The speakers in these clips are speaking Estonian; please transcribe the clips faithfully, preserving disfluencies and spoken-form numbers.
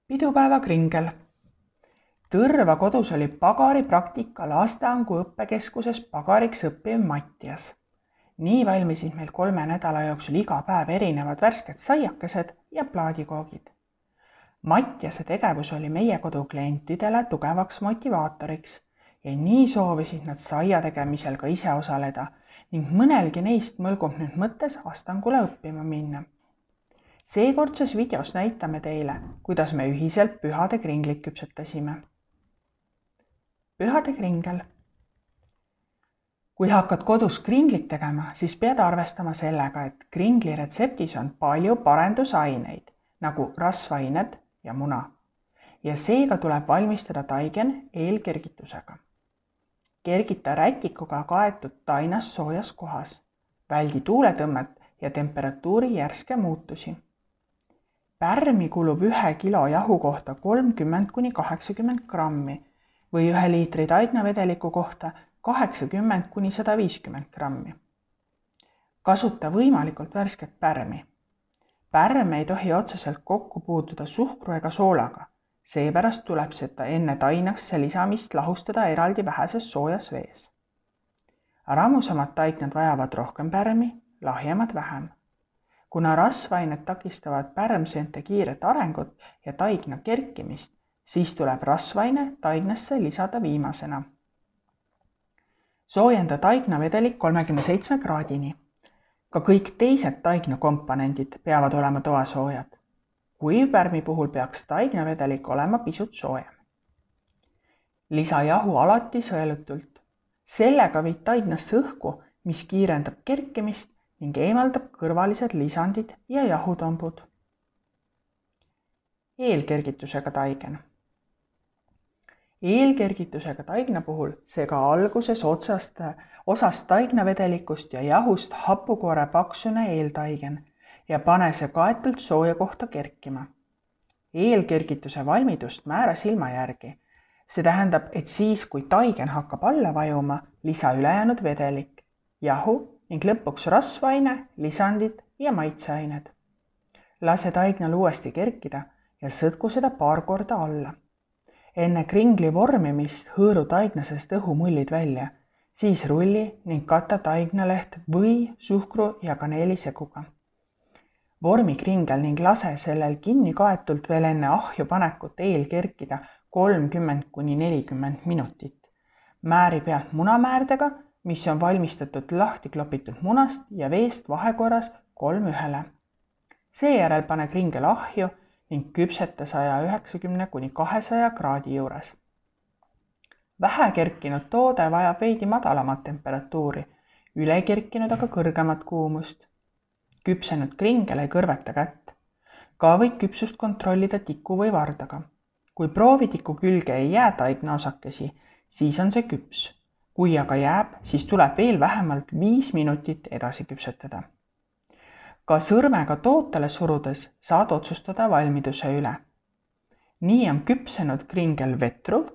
Pidupäeva kringel. Tõrva kodus oli pagari praktika lasteangu õppekeskuses pagariks õppiv Mattias. Nii valmisid meil kolme nädala jooksul iga päev erinevad värsked saiakesed ja plaadikoogid. Mattiase tegevus oli meie kodu klientidele tugevaks motivaatoriks ja nii soovisid nad saia tegemisel ka ise osaleda ning mõnelgi neist mõlgub nüüd mõttes astangule õppima minna. Seekordses videos näitame teile, kuidas me ühiselt pühade kringlit küpsetasime. Pühade kringel. Kui hakkad kodus kringlit tegema, siis pead arvestama sellega, et kringli retseptis on palju parendusaineid, nagu rasvained ja muna. Ja seega tuleb valmistada taigen eelkergitusega. Kergita rätikuga kaetud tainas soojas kohas. Väldi tuuletõmmet ja temperatuuri järske muutusi. Pärmi kulub ühe kilo jahu kohta kolmkümmend kuni kaheksakümmend grammi või ühe liitri taignavedeliku kohta kaheksakümmend kuni sada viiskümmend grammi. Kasuta võimalikult värsket pärmi. Pärm ei tohi otseselt kokku puutuda suhkru ega soolaga, seepärast tuleb seda enne tainasse lisamist lahustada eraldi väheses soojas vees. Rammusamad taignad vajavad rohkem pärmi, lahjemad vähem. Kuna rasvained takistavad pärmseente kiiret arengut ja taigna kerkimist, siis tuleb rasvaine taignasse lisada viimasena. Soojenda taignavedelik kolmekümne seitsme kraadini. Ka kõik teised taignakomponendid peavad olema toasoojad. Kuivpärmi puhul peaks taignavedelik olema pisut soojem. Lisa jahu alati sõelutult. Sellega viid taignasse õhku, mis kiirendab kerkimist ning eemaldab kõrvalised lisandid ja jahutombud. Eelkergitusega taigen. Eelkergitusega taigna puhul sega alguses otsast, osast taignavedelikust ja jahust hapukoore paksune eeltaigen ja pane see kaetult sooja kohta kerkima. Eelkergituse valmidust määra silma järgi. See tähendab, et siis, kui taigen hakkab alla vajuma, lisa ülejäänud vedelik, jahu ning lõpuks rasvaine, lisandid ja maitseained. Lase taignal uuesti kerkida ja sõtku seda paar korda alla. Enne kringli vormimist hõõru taignasest õhumullid välja, siis rulli ning kata taignaleht või suhkru ja kaneeliseguga. Vormi kringel ning lase sellel kinni kaetult veel enne ahju panekut eel kerkida kolmkümmend kuni nelikümmend minutit. Määri pealt munamäärdega, mis on valmistatud lahti klopitud munast ja veest vahekorras kolm ühele. Seejärel pane kringel ahju ning küpseta saja üheksakümne kuni kahesaja kraadi juures. Vähe kerkinud toode vajab veidi madalamat temperatuuri, üle kerkinud aga kõrgemat kuumust. Küpsenud kringel ei kõrveta kätt. Ka võid küpsust kontrollida tiku või vardaga. Kui proovitiku külge ei jää taigna osakesi, siis on see küps. Kui aga jääb, siis tuleb veel vähemalt viis minutit edasi küpsetada. Ka sõrmega tootele surudes saad otsustada valmiduse üle. Nii on küpsenud kringel vetruv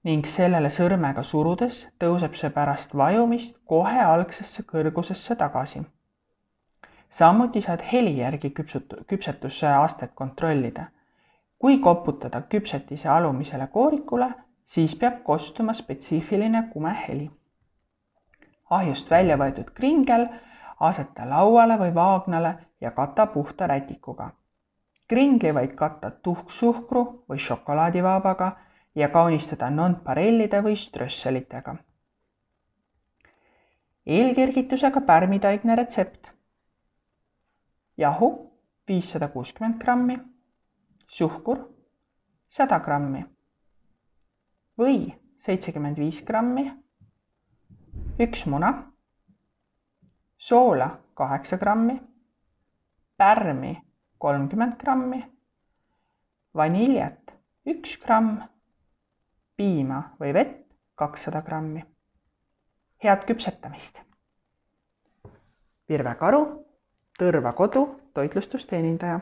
ning sellele sõrmega surudes tõuseb see pärast vajumist kohe algsesse kõrgusesse tagasi. Samuti saad heli järgi küpsetuse astet kontrollida. Kui koputada küpsetise alumisele koorikule, siis peab kostuma spetsiifiline kume heli. Ahjust välja võetud kringel aseta lauale või vaagnale ja kata puhta rätikuga. Kringli võid katta tuhksuhkru või šokolaadivaabaga ja kaunistada nonparellide või strösselitega. Eelkergitusega pärmitaigne retsept. Jahu viissada kuuskümmend grammi, suhkur sada grammi, või seitsekümmend viis grammi, üks muna, soola kaheksa grammi, pärmi kolmkümmend grammi, vaniljat üks gramm, piima või vett kakssada grammi. Head küpsetamist! Virve Karu, Tõrva kodu toitlustusteenindaja.